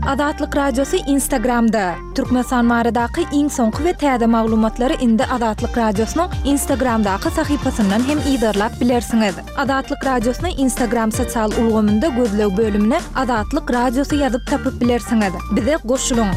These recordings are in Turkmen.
Azatlyk Radiosy Instagramda! Türkmenistan baradaky iň soňky we täze maglumatlary indi Azatlyk Radiosynyň Instagramdaky sahypasyndan hem yzarlap bilersiňiz. Azatlyk Radiosyny Instagram sosial ulgamynda gözleg bölümine Azatlyk Radiosy ýazyp tapyp bilersiňiz. Bize goşulyň!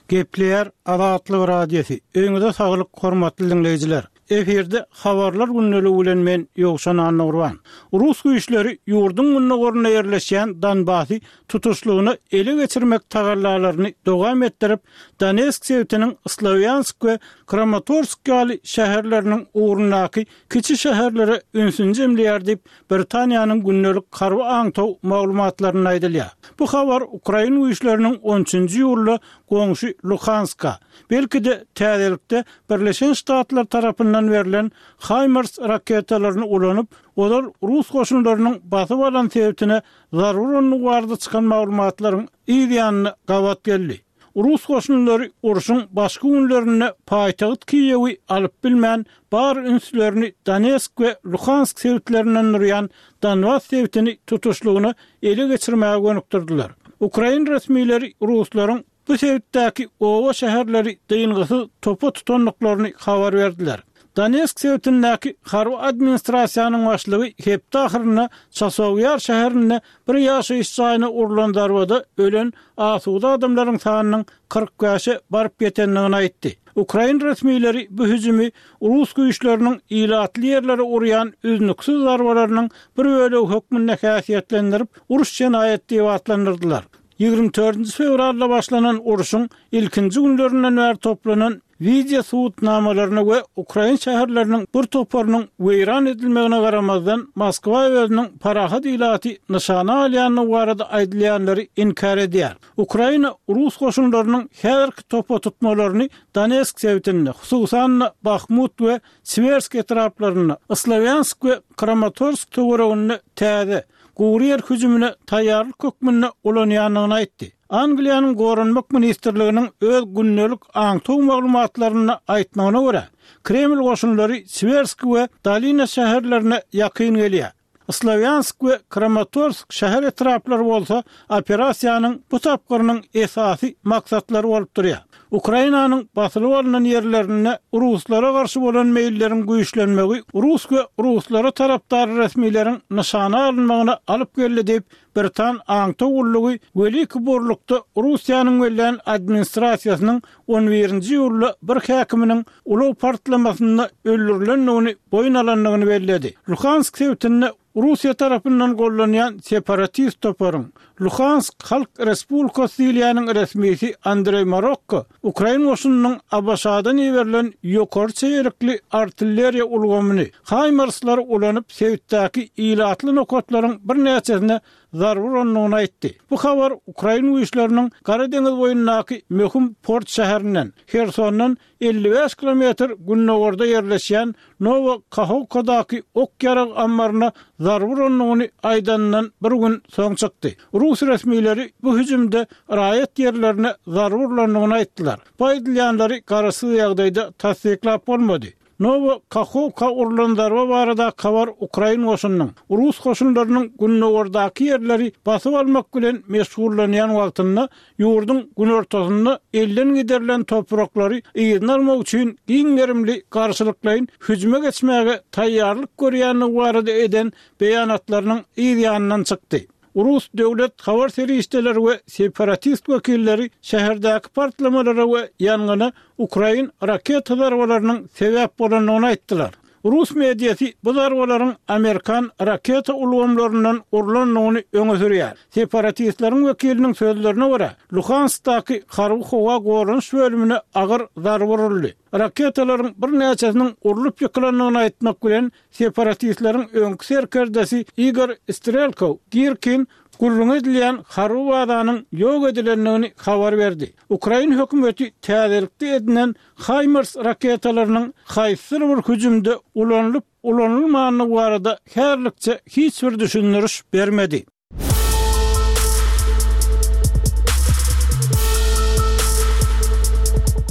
Gepleýär Azatlyk Radiosy. Öýüňize saglyk hormatly diňleýjiler. Efirde Habarlar gündeligi bilen men Ýowşan Annagurban. Rus güýçleri ýurduň gündogarynda ýerleşýän Donbasy tutuşlygyna ele geçirmek tagallalaryny dowam etdirip, Donetsk sebitiniň Slowýansk we Kramatorsk ýaly şäherleriniň ugrundaky kiçi şäherlere ünsüni jemleýär diýip, Britaniýanyň gündelik harby aňtaw maglumatlarynda aýdylýar. Bu habar ukrain güýçleriniň on üçünji iýulda goňşy Luhanska, belki-de, täzelikde Birleşen Ştatlar tarapyndan berlen HIMARS raketalaryny ulanyp, ozal rus goşunlarynyň basyp alan sebitine zarba urandygy barada çykan maglumatlaryň yz ýanyna gabat geldi. Rus goşunlary urşuň başky günlerinde paýtagt Kiýewi alyp bilmän, bar ünslerini Donetsk we Luhansk sebitlerinden durýan Donbas sebitini tutuşlygyna ele geçirmäge gönükdirdiler. Ukrain resmileri ruslaryň bu sebitdäki oba-şäherleri dyngysyz topa tutandyklaryny habar berdiler. Donetsk sebitindäki harby administrasiýanyň başlygy hepde ahyrynda Çasowýar şäherinde bir ýaşaýyş jaýyna urlan zarbada ölen asuda adamlaryň sanynyň 45-e baryp ýetendigini aýtdy. Ukrain resmileri bu hüjümi rus güýçleriniň ilatly ýerlere urýan üznüksiz zarbalarynyň bir bölegi hökmünde häsiýetlendirip, uruş jenaýaty diýip atlandyrdylar. 24 fewralda başlanan urşuň ilkinji günlerinden bäri toplanan wideo subutnamalaryna we ukrain şäherleriniň bir toparynyň weýran edilmegine garamazdan, Moskwa özüniň parahat ilaty nyşana alýandygy barada aýdylýanlary inkär edýär. Ukraina rus goşunlarynyň häzirki topa tutmalaryny Donetsk sebitinde, hususan-da, Bahmut we Siwersk etraplarynda, Slowýansk we Kramatorsk töwereginde täze, gury ýer hüjümine taýýarlyk hökmünde ulanýandygyny aýtdy. Angliýanyň Goranmak ministrliginiň öz gündelik aňtaw maglumatlarynda aýtmagyna görä, Kreml goşunlary Siwersk we Dolina şäherlerine ýakyn gelýär. Slowýansk we Kramatorsk şäher etraplary bolsa operasiýanyň bu tapgyrynyň esasy maksatlary bolup durýar. Ukrainanyň basylyp alnan ýerlerinde ruslara garşy bolan meýilleriň güýçlenmegi rus we ruslara tarapdar resmileriň nyşana alynmagyna alyp geldi diýip, britan aňtaw gullugy Weliki Burlukda Russiýanyň bellän administrasiýasynyň on birinji iýulda bir häkiminiň ulag partlamasynda öldürilendigini boýun alandygyny belledi. Luhansk sebitinde Russiýa tarapyndan gollanýan separatist toparyň, Luhansk Halk Respublikasy diýilýäniň resmisi Andreý Marokko ukrain goşunynyň ABŞ-dan iberilen ýokary çeýelikli artilleriýa ulgamyny, HIMARS-lary ulanyp sebitdäki ilatly nokatlaryň birnäçesine zarba urandygyny aýtdy. Bu habar ukrain güýçleriniň Gara deňiz boýundaky möhüm port şäherinden, Hersondan 55 kilometr gündogarda ýerleşýän Nowa Kahowkadaky ok-ýarag ammaryna zarba urandygyny aýdanyndan bir gün soň çykdy. Rus resmileri bu hüjümde raýat ýerlerine zarba urlandygyny aýtdylar. Bu aýdylýanlary garaşsyz ýagdaýda tassyklap bolmady. Nowa Kahowka urlan zarba baradaky habar ukrain goşunynyň rus goşunlarynyň gündogardaky ýerleri basyp almak bilen meşgullanýan wagtynda ýurduň günortasynda elden giderilen topraklary yzyna almak üçin giň gerimli garşylyklaýyn hüjüme geçmäge taýýarlyk görýändigi barada eden beýanatlarynyň yz ýanyndan çykdy. Rus döwlet habar serişdeleri we separatist wekilleri şäherdäki partlamalara we ýangyna ukrain raketa zarbalarynyň sebäp bolandygyny aýtdylar. Rus mediasy bu zarbalaryň amerikan raketa ulgamlaryndan urlandygyny öňe sürýär. Separatistleriň wekiliniň sözlerine görä, Luhanskdaky harby-howa goranyş bölümine agyr zarba uruldy. Raketalaryň birnäçesiniň urlup ýykylandygyny aýtmak bilen, Separatistleriň öňki serkerdesi Igor Strelkow Girkin gürrüňi edilýän harby bazanyň ýok edilendigini habar berdi. Ukrain hökümeti täzelikde edinen HIMARS raketalarynyň haýsydyr bir hüjümde ulanylyp-ulanylmandygy barada häzirlikçe hiç bir düşündiriş bermedi.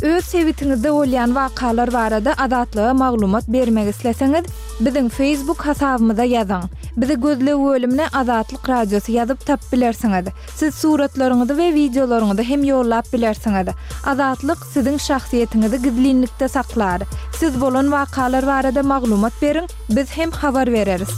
Öz sebitiňizde bolýan wakalar barada Azatlyga maglumat bermek isleseňiz, Biziň Facebook hasabymyza ýazyň. Bizi gözleg bölümine Azatlyk Radiosy ýazyp tapyp bilersiňiz. Siz suratlaryňyzy we wideolaryňyzy hem ýollap bilersiňiz. Azatlyk siziň şahsyýetiňizi gizlinlikde saklar. Siz bolan wakalar barada maglumat beriň, biz hem habar bereris.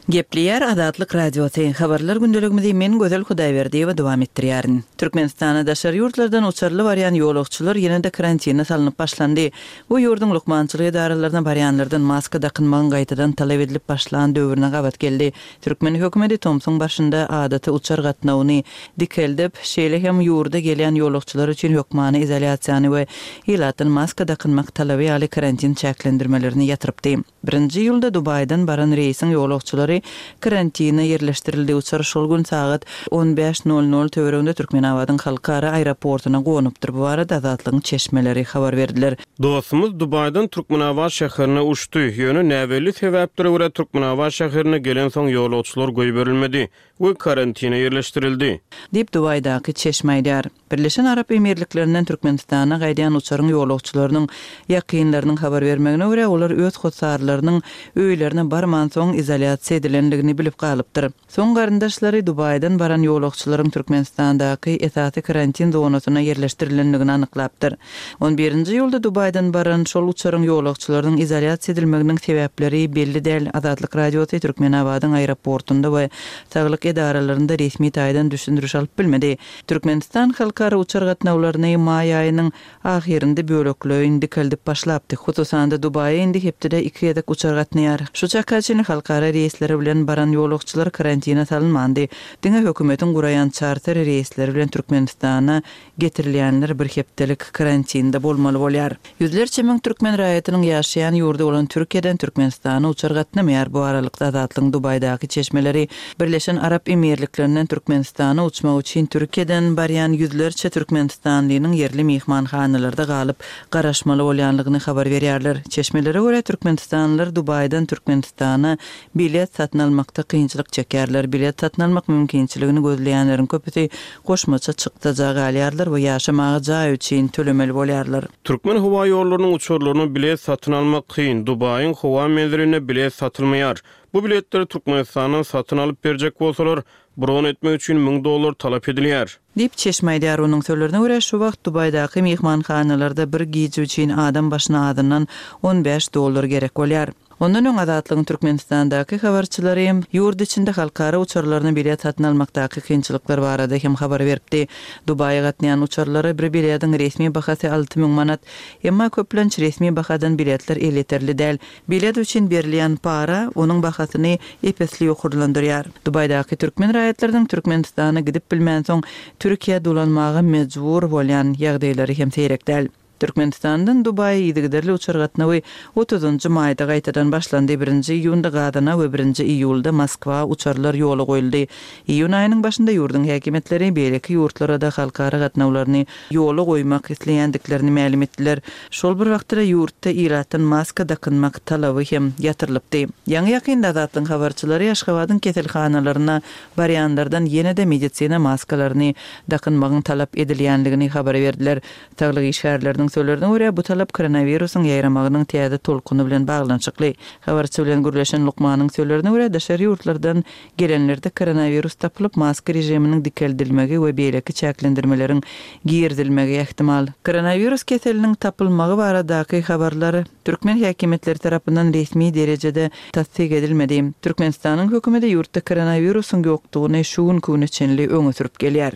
Gepleýär Azatlyk Radiosy, Habarlar gündeligimizi men Gözel Hudaýberdiýewa dowam etdirýärin. Türkmenistana daşary ýurtlardan uçarly barýan ýolagçylar ýene-de karantine salnyp başlandy. Bu ýurduň lukmançylyk edaralaryna barýanlardan maska dakynmagyň gaýtadan talap edilip başlan döwrüne gabat geldi. Türkmen hökümeti tomsuň başynda adaty uçar gatnawyny dikeldip, şeýle hem ýurda gelýän ýolagçylar üçin hökmany izolýasiýany we ilatdan maska dakynmak talaby ýaly karantin çäklendirmelerini ýatyrypdy. Birinji iýulda Dubaýdan baran reýsiň ýolagçylary karantine ýerleşdirildi. Uçar şol gün sagat on bäş nol nol töwereginde Türkmenabadyň halkara aeroportuna gonupdyr. Bu barada Azatlygyň çeşmeleri habar berdiler. Dostumyz Dubaýdan Türkmenabat şäherine uçdy. Ýöne näbelli sebäplere görä Türkmenabat şäherine gelensoň ýolagçylar goýberilmedi we karantine ýerleşdirildi. Diýip, Dubaýdaky çeşme aýdýar. Birleşen Arap Emirliklerinden Türkmenistana gaýdýan uçaryň ýolagçylarynyň ýakynlarynyň habar bermegine görä, olar öz hossarlarynyň öýlerine barmansoň izolýasiýa edilendigini bilip galypdyr. Soň garyndaşlary Dubaýdan baran ýolagçylaryň Türkmenistandaky esasy karantin zonasyna ýerleşdirilendigini anyklapdyr. On birinji iýulda Dubaýdan baran şol uçaryň ýolagçylarynyň izolýasiýa edilmeginiň sebäpleri belli däl. Azatlyk Radiosy Türkmenabadyň aeroportunda we saglyk edaralarynda resmi taýdan düşündiriş alyp bilmedi. Türkmenistan halkara uçar gatnawlaryny maý aýynyň ahyrynda bölekleýin dikeldip başlapdy. Hususan-da, Dubaýa indi hepdede iki gezek uçar gatnaýar. Şu çaka çenli halkara reýsleri bilen baran ýolagçylar karantine salynmandy. Diňe hökümetiň guraýan çarter reýsleri bilen Türkmenistana getirilýänler bir hepdelik karantinde bolmaly bolýar. Ýüzlerçe müň türkmen raýatynyň ýaşaýan ýurdy bolan Türkiýeden Türkmenistana uçar gatnamaýar. Bu aralykda Azatlygyň Dubaýdaky çeşmeleri Birleşen Arap Emirliklerinden Türkmenistana uçmak üçin Türkiýeden barýan ýüzlerçe türkmenistanlynyň ýerli myhmanhanalarda galyp, garaşmaly bolýanlygyny habar berýärler. Çeşmelere görä, türkmenistanlylar Dubaýdan Türkmenistana bilet satyn almakda kynçylyk çekýärler. Bilet satyn almak mümkinçiligini gözleýänleriň köpüsi goşmaça çykdaja galýarlar we ýaşamaga jaý üçin tölemeli bolýarlar. Türkmen howa ýollarynyň uçarlaryna bilet satyn almak kyn, Dubaýyň howa menzilinde bilet satylmaýar. Bu biletleri Türkmenistandan satyn alyp berjek bolsalar, bron etmek üçin 1000 dollar talap edilýär. Diýip, çeşme aýdýar. Onuň sözlerine görä, şu wagt Dubaýdaky myhmanhanalarda bir gije üçin adam başyna azyndan on bäş dollar gerek bolýar. Ondan öň Azatlygyň Türkmenistandaky habarçylary ýurt içinde halkara uçarlaryna bilet satyn almakdaky kynçylyklar barada hem habar beripdi. Dubaýa gatnaýan uçarlara bir bilediň resmi bahasy 6000 manat. Emma köplenç resmi bahadan biletler elýeterli däl. Bilet üçin berilýän para onuň bahasyny ep-esli ýokarlandyrýar. Dubaýdaky türkmen raýatlarynyň Türkmenistana gidip bilmänsoň Türkiýä dolanmaga mejbur bolýan ýagdaýlary hem seýrek däl. Türkmenistandan Dubaýa yzygiderli uçar gatnawy otuzynjy maýda gaýtadan başlandy, birinji iýunda Gazana we birinji iýulda Moskwa uçarlar ýola goýuldy. Iýun aýynyň başynda ýurduň häkimiýetleri beýleki ýurtlara-da halkara gatnawlaryny ýola goýmak isleýändiklerini mälim etdiler. Şol bir wagtda-da ýurtda ilatdan maska dakynmak talaby hem ýatyrylypdy. Ýaňy-ýakynda Azatlygyň habarçylary Aşgabadyň keselhanalaryna barýanlardan ýene-de medisina maskalaryny dakynmagyň talap edilýändigini habar berdiler. Saglyk işgärleriniň sözlerine görä, bu talap koronawirusyň ýaýramagynyň täze tolkuny bilen baglanyşykly. Habarçy bilen gürleşen lukmanyň sözlerine görä, daşary ýurtlardan gelenlerde koronawirus tapylyp, maska režiminiň dikeldilmegi we beýleki çäklendirmeleriň girizilmegi ähtimal. Koronawirus keseliniň tapylmagy baradaky habarlar türkmen häkimiýetleri tarapyndan resmi derejede tassyk edilmedi. Türkmenistanyň hökümeti ýurtda koronawirusyň ýokdugyny şu günki güne çenli öňe sürüp gelýär.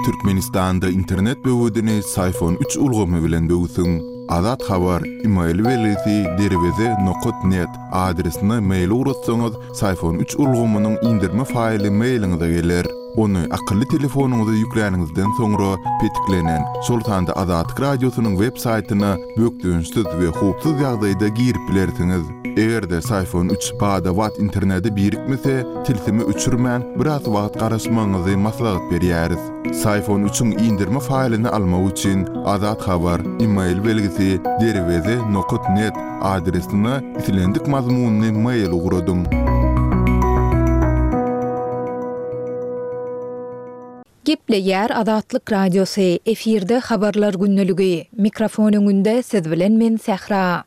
Türkmenistanda internet böwedini Syfon üç ulgamy bilen böwsüň. Azat Habar, email belgisi derweze nokat net adresine mail ugratsaňyz, Syfon üç ulgamynyň indirme faýly mailiňize geler. Ony akylly telefonyňyza ýükläniňizden soňra petiklenen, şol sanda Azatlyk Radiosynyň web saýtyna bökdençsiz we howpsuz ýagdaýda girip bilersiňiz. Eger-de Syfon üç bada-bat internete birikmese, tilsimi öçürmän, biraz wagt garaşmagyňyzy maslahat berýäris. Syfon üçiň indirme faýlyny almak üçin Azat Habar, email belgisi, derweze nokat net adresine islendik mazmunly mail ugradyň. Gepleýär Azatlyk Radiosy, efirde Habarlar gündeligi. Mikrofon öňünde siz bilen men Sähra.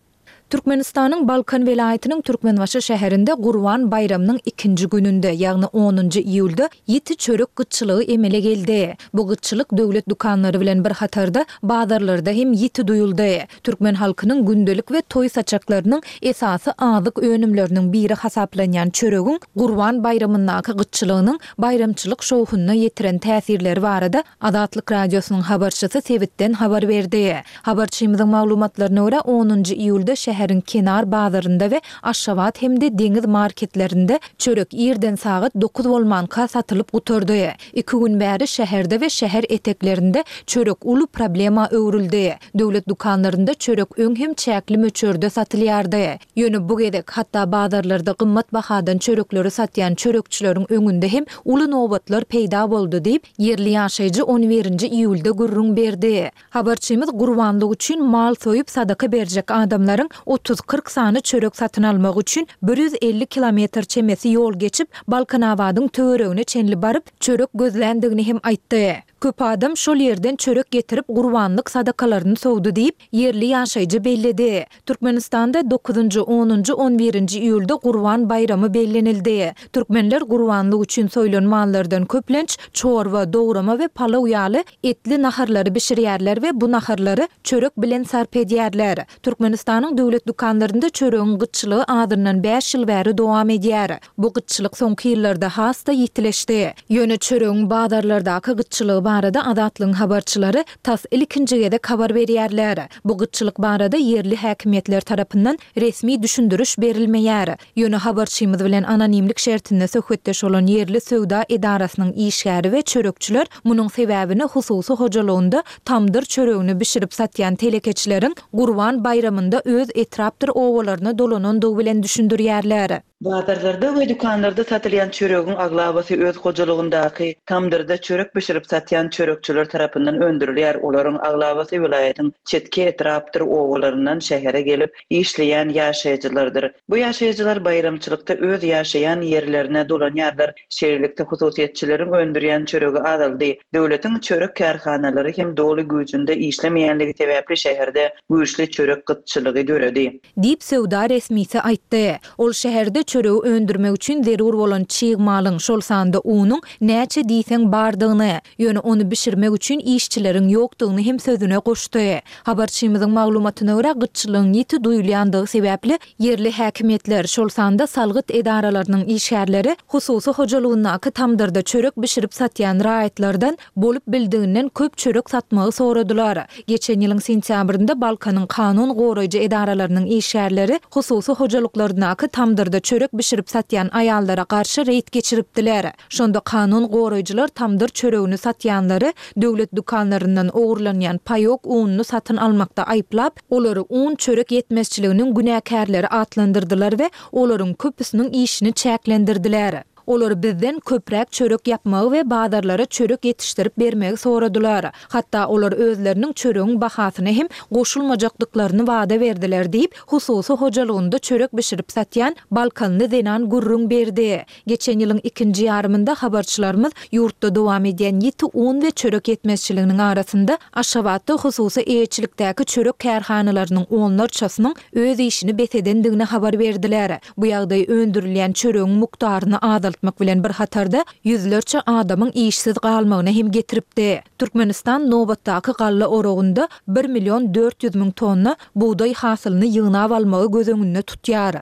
Türkmenistanyň Balkan welaýatynyň Türkmenbaşy şäherinde Gurban baýramynyň ikinji gününde, ýagny onunjy iýulda ýiti çörek gytçylygy emele geldi. Bu gytçylyk döwlet dükanlary bilen bir hatarda bazarlarda hem ýiti duýuldy. Türkmen halkynyň gündelik we toý saçaklarynyň esasy azyk önümleriniň biri hasaplanýan çöregiň Gurban baýramyndaky gytçylygynyň baýramçylyk şowhunyna ýetiren täsirleri barada Azatlyk Radiosynyň habarçysy sebitden habar berdi. Habarçymyzyň maglumatlaryna görä, onunjy iýulda şäheriň Kenar bazarynda we Aşgabat hem-de Deňiz marketlerinde çörek irden sagat dokuz bolmanka satylyp gutardy. Iki gün bäri şäherde we şäher eteklerinde çörek uly problema öwrüldi. Döwlet dükanlarynda çörek öň hem çäkli möçberde satylýardy. Ýöne bu gezek, hatda bazarlarda gymmat bahadan çörekleri satýan çörekçileriň öňünde hem uly nobatlar peýda boldy diýip, ýerli ýaşaýjy on birinji iýulda gürrüň berdi. Habarçymyz gurbanlyk üçin mal soýup sadaka berjek adamlaryň otuz-kyrk sany çörek satyn almak üçin 150 kilometr çemesi ýol geçip, Balkanabadyň töweregine çenli baryp, çörek gözländigini hem aýtdy. Köp adam şol ýerden çörek getirip gurbanlyk sadakalaryny sowdy diýip, ýerli ýaşaýjy belledi. Türkmenistanda dokuzynjy, onunjy, on birinji iýulda Gurban baýramy bellenildi. Türkmenler gurbanlyk üçin soýlan mallardan köplenç çorba, dograma we palaw ýaly etli naharlary bişirýärler we bu naharlary çörek bilen sarp edýärler. Türkmenistanyň döwlet dükanlarynda çöregiň gytçylygy azyndan bäş ýyl bäri dowam edýär. Bu gytçylyk soňky ýyllarda has-da ýitileşdi. Ýöne çöregiň bazarlardaky gytçylygy barada Azatlygyň habarçylary tas ilkinji gezek habar berýärler. Bu gytçylyk barada ýerli häkimiýetler tarapyndan resmi düşündiriş berilmeýär. Ýöne habarçymyz bilen anonimlik şertinde söhbetdeş bolan ýerli söwda edarasynyň işgäri we çörekçiler munuň sebäbini hususy hojalygynda tamdyr çöregini bişirip satýan telekeçileriň Gurban baýramynda öz etrapdyr obalaryna dolanandygy bilen düşündirýärler. Bazarlarda we dükanlarda satylýan çöregiň aglabasy öz hojalygyndaky tamdyrda çörek bişirip satýan çörekçiler tarapyndan öndürilýär. Olaryň aglabasy welaýatyň çetki etrapdyr obalaryndan şähere gelip işleýän ýaşaýjylardyr. Bu ýaşaýjylar baýramçylykda öz ýaşaýan ýerlerine dolanýarlar. Şeýlelikde, hususyýetçileriň öndürýän çöregi azaldy. Döwletiň çörek kärhanalary hem doly güýjünde işlemeýänligi sebäpli şäherde güýçli çörek gytçylygy döredi. Diýip, söwda resmisi aýtdy. Ol şäherde çöregi öndürmek üçin zerur bolan çig malyň, şol sanda unuň näçe diýseň bardygyny, ýöne ony bişirmek üçin işçileriň ýokdugyny hem sözüne goşdy. Habarçymyzyň maglumatyna görä, gytçylygyň ýiti duýulýandygy sebäpli, ýerli häkimiýetler, şol sanda salgyt edaralarynyň işgärleri hususy hojalygyndaky tamdyrda çörek bişirip satýan raýatlardan bolup bildiginden köp çörek satmagy soradylar. Geçen ýylyň sentýabrynda Balkanyň kanun goraýjy edaralarynyň işgärleri hususy hojalyklaryndaky tamdyrda çörek bişirip satýan aýallara garşy reýd geçiripdiler. Şonda kanun goraýjylar tamdyr çöregini satýanlary döwlet dükanlaryndan ogurlanýan paýok ununy satyn almakda aýyplap, olary un-çörek ýetmezçiliginiň günäkärleri atlandyrdylar we olaryň köpüsiniň işini çäklendirdiler. Olar bizden köpräk çörek ýapmagy we bazarlara çörek ýetişdirip bermegi soradylar. Hatda olar özleriniň çöregiň bahasyna hem goşulmajakdyklaryny wada berdiler diýip, hususy hojalygynda çörek bişirip satýan balkanly zenan gürrüň berdi. Geçen ýylyň ikinji ýarymynda habarçylarymyz ýurtda dowam edýän ýiti un we çörek ýetmezçiliginiň arasynda Aşgabatda hususy eýeçilikdäki çörek kärhanalarynyň onlarçasynyň öz işini bes edendigini habar berdiler. Bu ýagdaý öndürilýän çöregiň mukdaryny azaltmak bilen bir hatarda, ýüzlerçe adamyň işsiz galmagyna hem getiripdi. Türkmenistan nobatdaky galla oragynda bir million 400 müň tonna bugdaý hasylyny ýygnap almagy göz öňünde tutýar.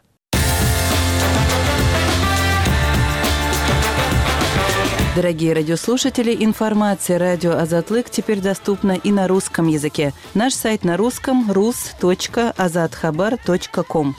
Дорогие радиослушатели, информация радио Азатлык теперь доступна и на русском языке. Наш сайт на русском rus.azathabar.com.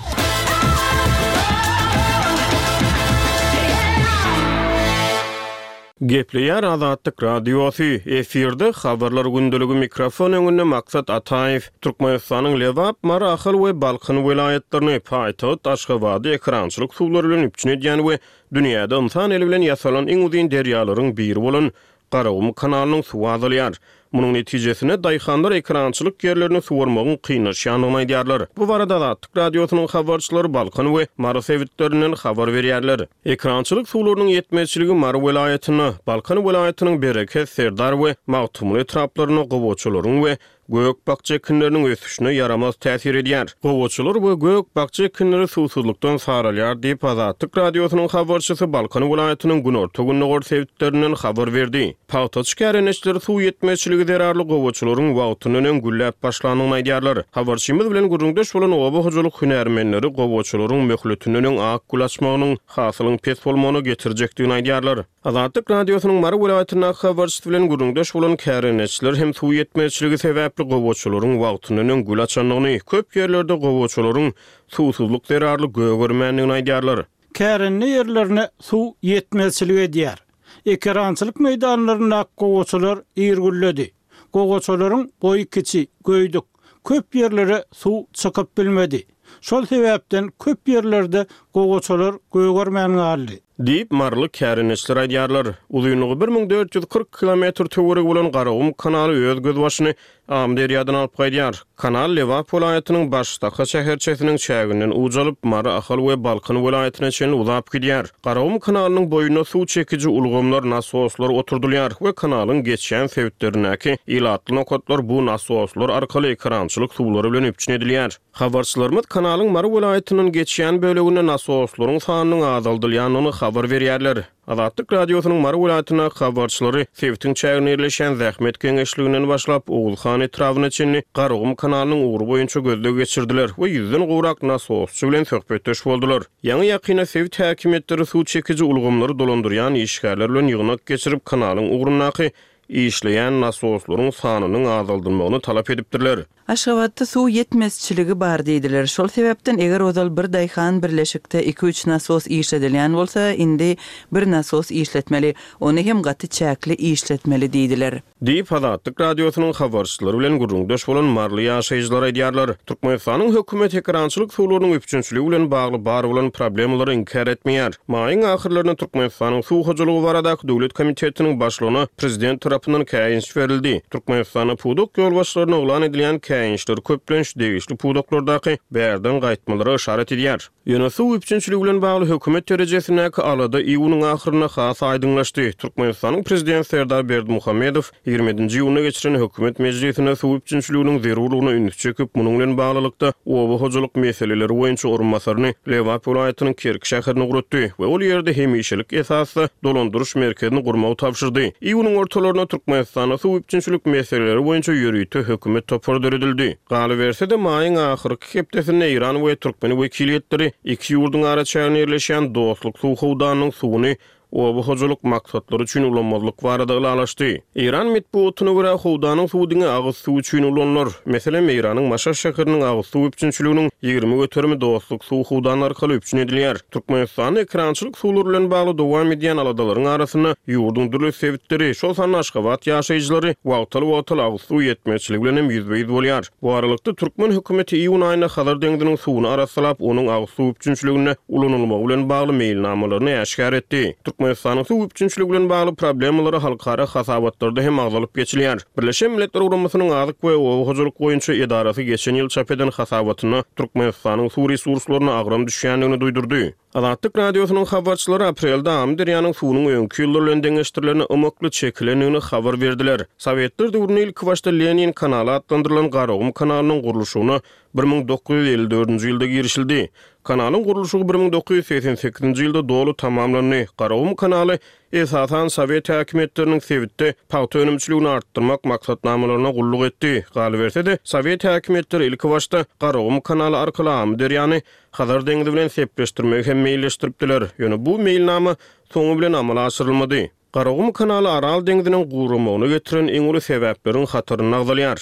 Gepleýär Azatlyk Radiosy, efirde Habarlar gündeligi mikrofon öňünde Maksat Ataýew. Türkmenistanyň Lebap, Mary, Ahal we Balkan welaýatlaryny, paýtagt Aşgabady ekerançylyk suwlary bilen üpjün edýän we dünýäde ynsan eli bilen ýasalan iň uzyn derýalaryň biri bolan Garagum kanalynyň suwy azalýar. Munuň netijesinde, daýhanlar ekerançylyk ýerlerini suwarmagyň kynlaşýandygyny aýdýarlar. Bu barada Azatlyk Radiosynyň habarçylary Balkan we Mary sebitlerinden habar berýärler. Ekerançylyk suwlarynyň ýetmezçiligi Mary welaýatynda, Balkan welaýatynyň Bereket, Serdar we Magtymguly etraplarynda gowaçalaryň we gök-bakja ekinleriniň ösüşine ýaramaz täsir edýär. Gowaçalar we gök-bakja ekinleri suwsuzlykdan saralýar diýip, Azatlyk Radiosynyň habarçysy Balkan welaýatynyň günorta-gündogar sebitlerinden habar berdi. Pagtaçy kärendeçiler suw ýetmezçiligi zerarly gowaçalaryň wagtyndan öň gülläp başlandygyny aýdýarlar. Habarçymyz bilen gürrüňdeş bolan oba hojalyk hünärmenleri gowaçalaryň möhletinden öň ak gül açmagynyň hasylyň pes bolmagyna getirjekdigini aýdýarlar. Azatlyk Radiosynyň Mary welaýatyndaky habarçysy bilen gürrüňdeş bolan kärendeçiler hem suw ýetmezçiligi sebäpli gowaçalaryň wagtyndan öň gül açandygyny, köp ýerlerde gowaçalaryň suwsuzlyk zerarly gögermändigini aýdýarlar. Kärende ýerlerine suw ýetmezçilik edýär. Ekerançylyk meýdanlaryndaky gowaçalar ir gülledi. Gowaçalaryň boýy kiçi, göýdük. Köp ýerlere suw çykyp bilmedi. Şol sebäpden köp ýerlerde gowaçalar gögermän galdy. Diýip, maryly kärendeçiler aýdýarlar. Uzynlygy 1440 kilometr töweregi bolan Garagum kanaly öz gözbaşyny Amyderýadan alyp gaýdýar. Kanal Lebap welaýatynyň Baştaka şäherçesiniň çäginden uç alyp, Mary, Ahal we Balkan welaýatyna çenli uzap gidýär. Garagum kanalynyň boýunda suw çekiji ulgamlar, nasoslar oturdylýar we kanalyň geçýän sebitlerindäki ilatly nokatlar bu nasoslar arkaly ekerançylyk suwlary bilen üpjün edilýär. Habarçylarymyz kanalyň Mary welaýatyndan geçýän böleginde nasoslaryň sanynyň azaldylýandygyny habar berýärler. Azatlyk Radiosynyň Mary welaýatyndaky habarçylary sebitiň çäginde ýerleşýän Zähmet geňeşliginden başlap, Oguzhan etrabyna çenli Garagum kanalynyň ugry boýunça gözleg geçirdiler we ýüzden gowrak nasosçy bilen söhbetdeş boldular. Ýaňy-ýakynda sebit häkimiýetleri suw çekiji ulgamlary dolandyrýan işgärler bilen ýygnak geçirip, kanalyň ugrundaky işleýän nasoslaryň sanynyň azaldylmagyny talap edipdirler. Aşgabatda suw ýetmezçiligi bar diýdiler. Şol sebäpden eger ozal bir daýhan birleşikde iki-üç nasos işledilýän bolsa, indi bir nasos işletmeli, ony hem gaty çäkli işletmeli diýdiler. Diýip, Azatlyk Radiosynyň habarçylary bilen gürrüňdeş bolan maryly ýaşaýjylar aýdýarlar. Türkmenistanyň hökümeti ekerançylyk suwlarynyň üpjünçiligi bilen bagly bar bolan problemalary inkär etmeýär. Maýyň ahyrlarynda Türkmenistanyň Suw hojalygy baradaky döwlet komitetiniň başlygyna prezident tarapyndan käýinç berildi. Türkmenistanda pudak ýolbaşçylaryna yglan edilýän käýinçler köplenç degişli pudaklardaky bärden gaýtmalara yşarat edýär. Ýöne suw üpjünçiligi bilen bagly hökümet derejesindäki alada iýunyň ahyrynda has aýdyňlaşdy. Türkmenistanyň Prezidenti Serdar Berdimuhamedow 27-nji iýunda geçiren hökümet mejlisinde suw üpjünçiliginiň zerurlygyna ünsi çekip, munuň bilen baglylykda, oba hojalyk meseleleri boýunça orunbasaryny Lebap welaýatynyň Kerki şäherine ugratdy we ol ýerde hemişelik esasda dolandyryş merkezini gurmagy tabşyrdy. Iýunyň ortalarynda Türkmenistanda suw üpjünçilik meseleleri boýunça ýörite hökümet topary döredildi. Galyberse-de, maýyň ahyrky hepdesinde Eýran we türkmen wekiliýetleri iki ýurduň araçäginde ýerleşýän Dostluk suw howdanynyň suwuny oba hojalyk maksatlary üçin ulanmazlyk barada ylalaşdy. Eýran metbugatyna görä, howdanyň suwy diňe agyz suwy üçin ulanylar. Meselem, Eýranyň Maşat şäheriniň agyz suw üpjünçiliginiň 20 göterimi Dostluk suw howdany arkaly üpjün edilýär. Türkmenistanda ekerançylyk suwlary bilen bagly dowam edýän aladalaryň arasynda ýurduň dürli sebitleri, şol sanda Aşgabat ýaşaýjylary wagtal-wagtal agyz suw ýetmezçiligi bilen hem ýüzbe-ýüz bolýar. Bu aralykda, türkmen hökümeti iýun aýynda Hazar deňziniň suwuny arassalap, onuň agyz suw üpjünçiliginde ulanylmagy bilen bagly meýilnamalaryny äşgär etdi. Türkmenistanyň suw üpjünçiligi bilen bagly problemalary halkara hasabatlarda hem agzalyp geçilýär. Birleşen Milletler Guramasynyň Azyk we oba hojalyk boýunça edarasy geçen ýyl çap eden hasabatynda Türkmenistanyň suw resurslaryna agram düşýändigini duýdurdy. Azatlyk Radiosynyň habarçylary aprelde Amyderýanyň suwunyň öňki ýyllar bilen deňeşdirilende ymykly çekilendigini habar berdiler. Sowetler döwründe ilkibaşda Lenin kanaly atlandyrylan Garagum kanalynyň gurluşygyna 1954-nji ýylda girişildi. Kanalyň gurluşygy 1988-nji ýylda doly tamamlandy. Garagum kanaly esasan sowet häkimiýetleriniň sebitde pagta önümçiligini artdyrmak maksatnamalaryna gulluk etdi. Galyberse-de, sowet häkimiýetleri ilkibaşda Garagum kanaly arkaly Amyderýany Hazar deňzi bilen sepleşdirmegi hem meýilleşdiripdiler. Ýöne bu meýilnama soňy bilen amala aşyrylmady. Garagum kanaly Aral deňziniň guramagyna getiren iň uly sebäpleriň hatarynda agzalýar.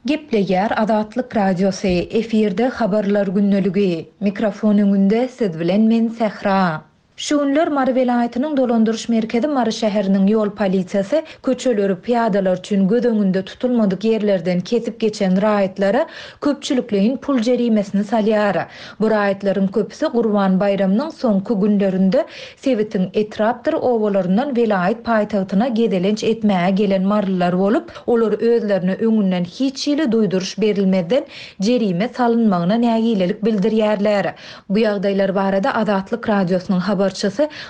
Gepleýär Azatlyk Radiosy, efirde Habarlar gündeligi. Mikrofon öňünde siz bilen men Sähra. Şu günler Mary welaýatynyň dolandyryş merkezi Mary şäheriniň ýol polisiýasy köçeleri pyýadalar üçin göz öňünde tutulmadyk ýerlerden kesip geçen raýatlara köpçülikleýin pul jerimesini salýar. Bu raýatlaryň köpüsi Gurban baýramynyň soňky günlerinde sebitiň etrapdyr obalaryndan welaýat paýtagtyna gezelenç etmäge gelen marylylar bolup, olar özlerine öňünden hiç hili duýduryş berilmezden jerime salynmagyna nägilelik bildirýärler. Bu ýagdaýlar barada Azatlyk Radiosynyň habarçysy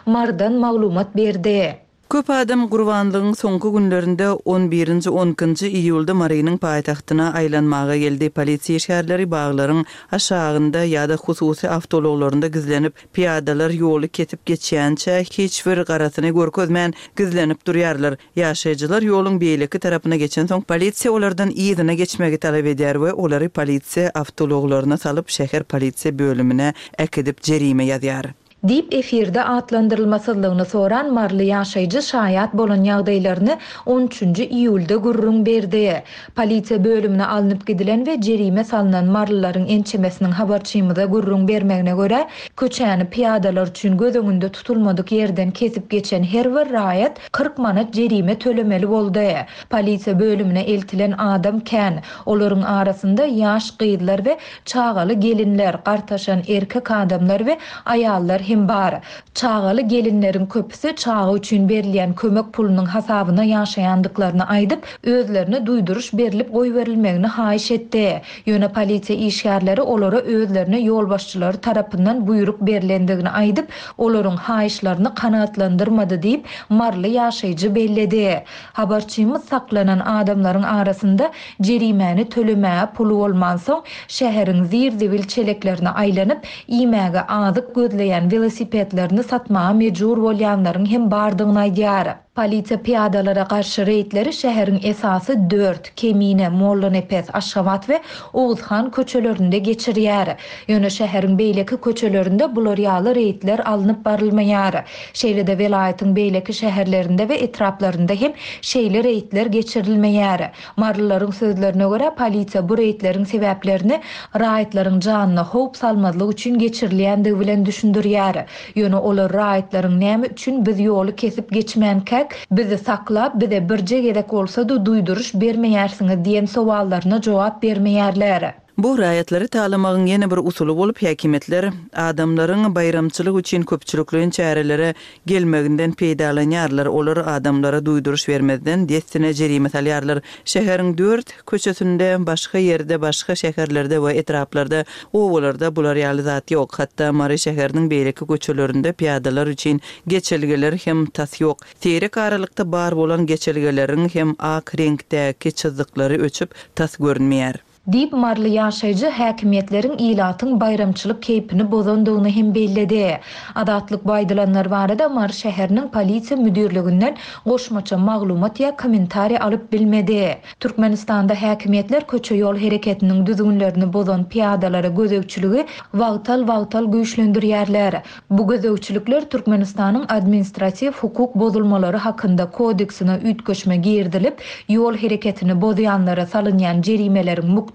Marydan maglumat berdi. Köp adam Gurbanlygyň soňky günlerinde on birinji, on ikinji iýulda Marynyň paýtagtyna aýlanmaga geldi. Polisiýa işgärleri baglaryň aşagynda ýa-da hususy awtoulaglarynda gizlenip, pyýadalar ýoly kesip geçýänçä hiç bir garasyny görkezmän gizlenip durýarlar. Ýaşaýjylar ýoluň beýleki tarapyna geçensoň, polisiýa olardan yzyna geçmegi talap edýär we olary polisiýa awtoulaglaryna salyp, şäher polisiýa bölümine äkidip jerime ýazýar. Diýip, efirde atlandyrylmasyzlygyny soran maryly ýaşaýjy şaýat bolan ýagdaýlaryny on üçünji iýulda gürrüň berdi. Polisiýa bölümine alnyp gidilen we jerime salnan marylylaryň ençemesiniň habarçymyza gürrüň bermegine görä, köçäni pyýadalar üçin göz öňünde tutulmadyk ýerden kesip geçen her bir raýat 40 manat jerime tölemeli boldy. Polisiýa bölümine eltilen adam kän. Olaryň arasynda ýaş gyzlar we çagaly gelinler, gartaşan erkek adamlar we aýallar hem bar. Çagaly gelinleriň köpüsi çaga üçin berilýän kömek pulunyň hasabyna ýaşaýandyklaryny aýdyp, özlerine duýduryş berlip goýberilmegini haýyş etdi. Ýöne polisiýa işgärleri olara özlerine ýolbaşçylary tarapyndan buýruk berlendigini aýdyp, olaryň haýyşlaryny kanagatlandyrmady diýip, maryly ýaşaýjy belledi. Habarçymyz saklanan adamlaryň arasynda jerimäni tölemäge puly bolmansoň, şäheriň zir-zibil çeleklerine aýlanyp, iýmäge azyk gözleýän welosipedlerini satmaga mejbur bolýanlaryň hem bardygyny aýdýar. Polisiýa pyýadalara garşy reýdleri şäheriň esasy dört, Kemine, Mollanepes, Aşgabat we Oguzhan köçelerinde geçirýär. Ýöne şäheriň beýleki köçelerinde bular ýaly reýdler alnyp barylmaýar. Şeýle-de welaýatyň beýleki şäherlerinde we etraplarynda hem şeýle reýdler geçirilmeýär. Marylylaryň sözlerine görä, polisiýa bu reýdleriň sebäplerini raýatlaryň janyna howp salmazlyk üçin geçirilýändigi bilen düşündirýär. Ýöne olar raýatlaryň näme üçin biz ýoly kesip geçmänkäk, bizi saklap, bize birje gezek bolsa-da duýduryş bermeýärsiňiz diýen sowallaryna jogap bermeýärler. Bu raýatlary talamagyň ýene bir usuly bolup, häkimiýetler adamlaryň baýramçylyk üçin köpçülikleýin çärelere gelmeginden peýdalanýarlar, olar adamlara duýduryş bermezden, dessine jerime salýarlar. Şäheriň dört köçesinde, başga ýerde, başga şäherlerde we etraplarda, obalarda bular ýaly zat ýok. Hatda Mary şäheriniň beýleki köçelerinde pyýadalar üçin geçelgeler hem tas ýok. Seýrek aralykda bar bolan geçelgeleriň hem ak reňkdäki çyzyklary öçüp, tas görünmeýär. Diýip, maryly ýaşaýjy häkimiýetleriň ilatyň baýramçylyk keýpini bozandygyny hem belledi. Azatlyk bu aýdylanlar barada Mary şäheriniň polisiýa müdirliginden goşmaça maglumat ýa kommentariý alyp bilmedi. Türkmenistanda häkimiýetler köçe-ýol hereketiniň düzgünlerini bozan pyýadalara gözegçiligi wagtal-wagtal güýçlendirýärler. Bu gözegçilikler Türkmenistanyň Administratiw hukuk bozulmalary hakynda kodeksine üýtgeşme girizilip, ýol hereketini bozýanlara salynýan jerimeleriň mukdarynyň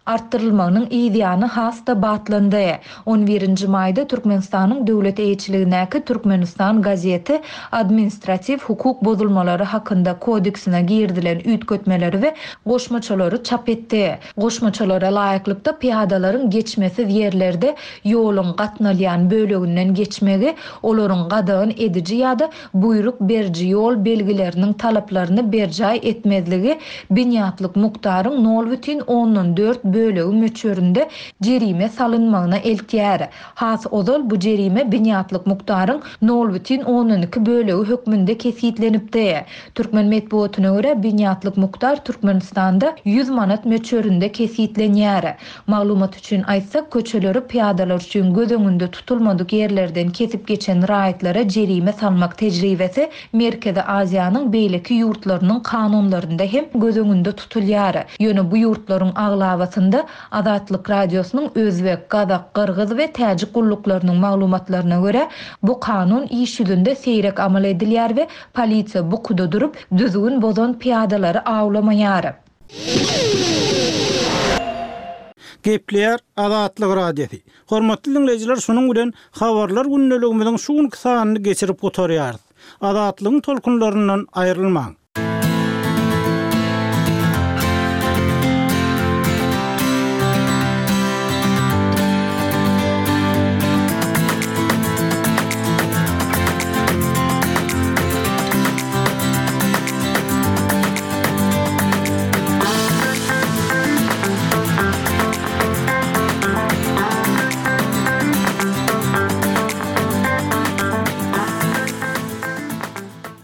artdyrylmagynyň yzýany has-da batlandy. On birinji maýda Türkmenistanyň döwlet eýeçiligindäki Türkmenistan gazeti Administratiw hukuk bozulmalary hakynda kodeksine girizilen üýtgetmeleri we goşmaçalary çap etdi. Goşmaçalara laýyklykda, pyýadalaryň geçmesiz ýerlerde ýoluň gatnalýan böleginden geçmegi, olaryň gadagan ediji ýa-da buýruk beriji ýol belgileriniň talaplaryny berjaý etmezligi binýatlyk mukdaryň nol bütin ondan dört bölegi möçberinde jerime salynmagyna eltýär. Has ozal bu jerime binýatlyk mukdaryň nol bütin ondan iki bölegi hökmünde kesgitlenipdi. Türkmen metbugatyna görä, binýatlyk mukdar Türkmenistanda 100 manat möçberinde kesgitlenýär. Maglumat üçin aýtsak, köçeleri pyýadalar üçin göz öňünde tutulmadyk ýerlerden kesip geçen raýatlara jerime salmak tejribesi Merkezi Aziýanyň beýleki ýurtlarynyň kanunlarynda hem göz öňünde tutulýar. Ýöne bu ýurtlaryň aglabasynda Azatlyk Radiosynyň özbek, gazak, gyrgyz we täjik gulluklarynyň maglumatlaryna görä, bu kanun iş ýüzünde seýrek amal edilýär we polisiýa bukuda durup, düzgün bozan pyýadalary awlamaýar. Gepleýär Azatlyk Radiosy. Hormatly diňleýjiler şunuň bilen Habarlar gündeligimiziň şu günki sanyny geçirip gutarýarys. Azatlygyň tolkunlaryndan aýrylmaň.